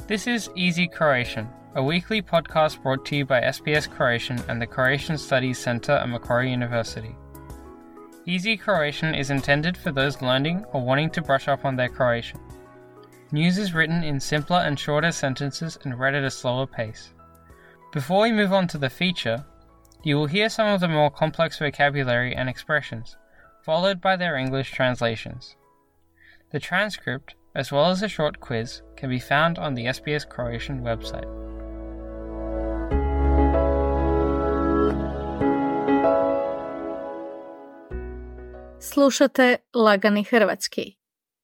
This is Easy Croatian, a weekly podcast brought to you by SBS Croatian and the Croatian Studies Centre at Macquarie University. Easy Croatian is intended for those learning or wanting to brush up on their Croatian. News is written in simpler and shorter sentences and read at a slower pace. Before we move on to the feature, you will hear some of the more complex vocabulary and expressions, followed by their English translations. The transcript, as well as a short quiz, can be found on the SBS Croatian website. Slušate Lagani hrvatski.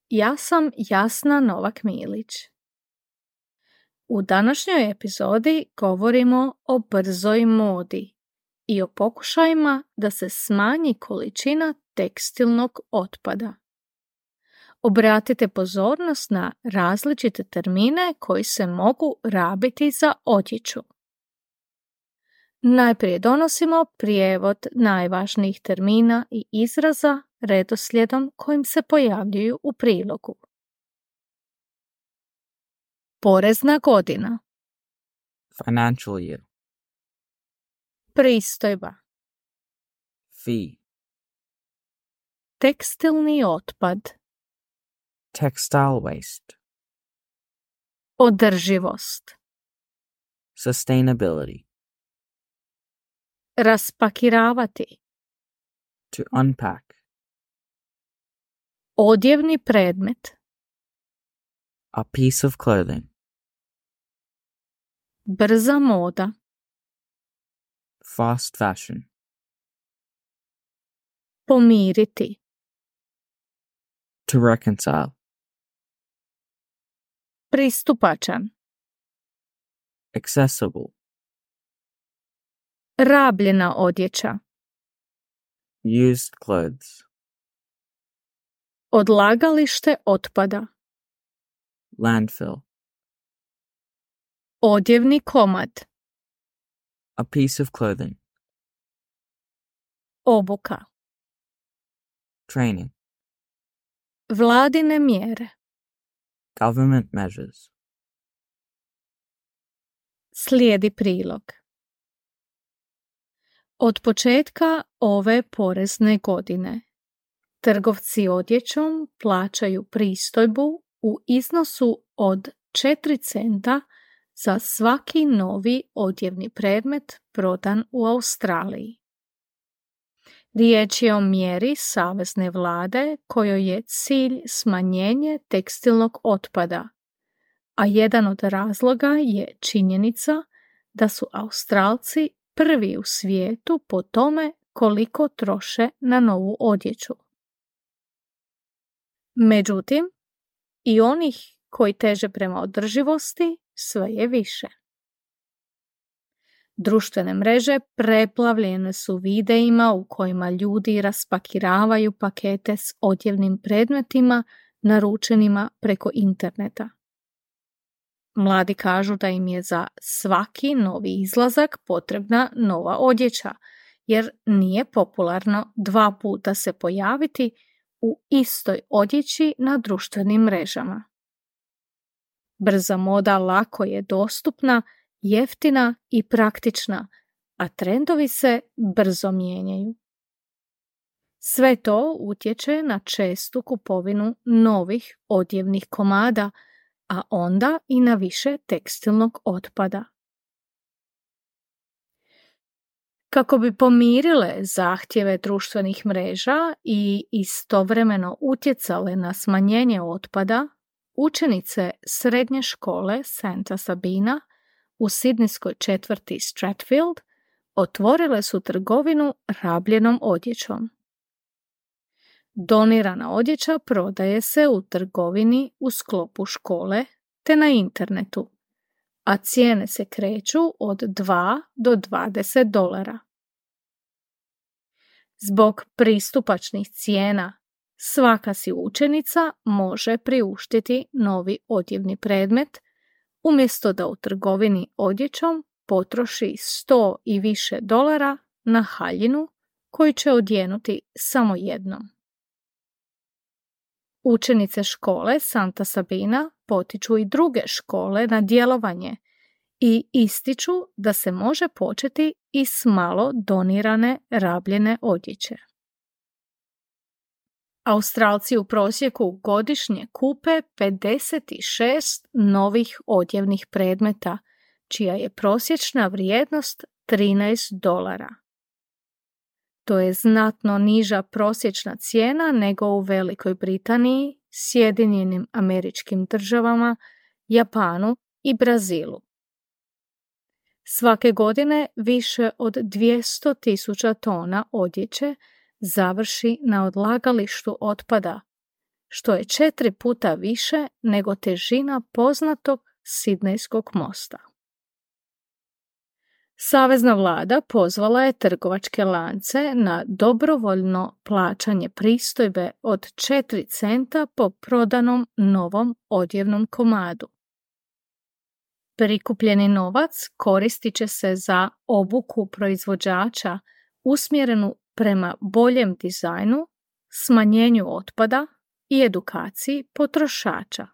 Ja sam Jasna Novak-Milić. U današnjoj epizodi govorimo o brzoj modi i o pokušajima da se smanji količina tekstilnog otpada. Obratite pozornost na različite termine koji se mogu rabiti za odjeću. Najprije donosimo prijevod najvažnijih termina i izraza redoslijedom kojim se pojavljuju u prilogu. Porezna godina. Financial year. Pristojba. Fee. Tekstilni otpad. Textile waste. Održivost. Sustainability. Raspakiravati. To unpack. Odjevni predmet. A piece of clothing. Brza moda. Fast fashion. Pomiriti. To reconcile. Pristupačan. Accessible. Rabljena odjeća. Used clothes. Odlagalište otpada. Landfill. Odjevni komad. A piece of clothing. Obuka. Training. Vladine mjere. Government measures. Slijedi prilog. Od početka ove porezne godine trgovci odjećom plaćaju pristojbu u iznosu od 4 centa za svaki novi odjevni predmet prodan u Australiji. Riječ je o mjeri savezne vlade kojoj je cilj smanjenje tekstilnog otpada, a jedan od razloga je činjenica da su Australci prvi u svijetu po tome koliko troše na novu odjeću. Međutim, i onih koji teže prema održivosti sve je više. Društvene mreže preplavljene su videima u kojima ljudi raspakiravaju pakete s odjevnim predmetima naručenima preko interneta. Mladi kažu da im je za svaki novi izlazak potrebna nova odjeća, jer nije popularno 2 puta se pojaviti u istoj odjeći na društvenim mrežama. Brza moda lako je dostupna, jeftina i praktična, a trendovi se brzo mijenjaju. Sve to utječe na čestu kupovinu novih odjevnih komada, a onda i na više tekstilnog otpada. Kako bi pomirile zahtjeve društvenih mreža i istovremeno utjecale na smanjenje otpada, učenice srednje škole Santa Sabina u sidnijskoj četvrti Stratfield otvorile su trgovinu rabljenom odjećom. Donirana odjeća prodaje se u trgovini u sklopu škole te na internetu, a cijene se kreću od $2 do $20. Zbog pristupačnih cijena, svaka si učenica može priuštiti novi odjevni predmet, umjesto da u trgovini odjećom potroši $100 i više na haljinu koju će odjenuti samo jednom. Učenice škole Santa Sabina potiču i druge škole na djelovanje i ističu da se može početi i s malo donirane rabljene odjeće. Australci u prosjeku godišnje kupe 56 novih odjevnih predmeta, čija je prosječna vrijednost $13. To je znatno niža prosječna cijena nego u Velikoj Britaniji, Sjedinjenim Američkim Državama, Japanu i Brazilu. Svake godine više od 200.000 tona odjeće završi na odlagalištu otpada, što je 4 puta više nego težina poznatog Sidnejskog mosta. Savezna vlada pozvala je trgovačke lance na dobrovoljno plaćanje pristojbe od 4 centa po prodanom novom odjevnom komadu. Prikupljeni novac koristit će se za obuku proizvođača usmjerenu prema boljem dizajnu, smanjenju otpada i edukaciji potrošača.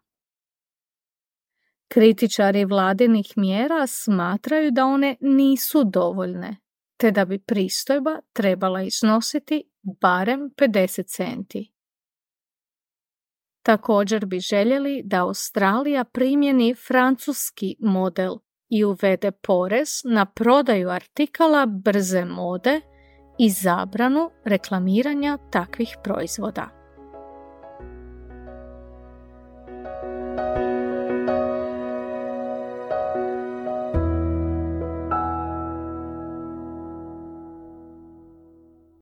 Kritičari vladinih mjera smatraju da one nisu dovoljne, te da bi pristojba trebala iznositi barem 50 centi. Također bi željeli da Australija primjeni francuski model i uvede porez na prodaju artikala brze mode i zabranu reklamiranja takvih proizvoda.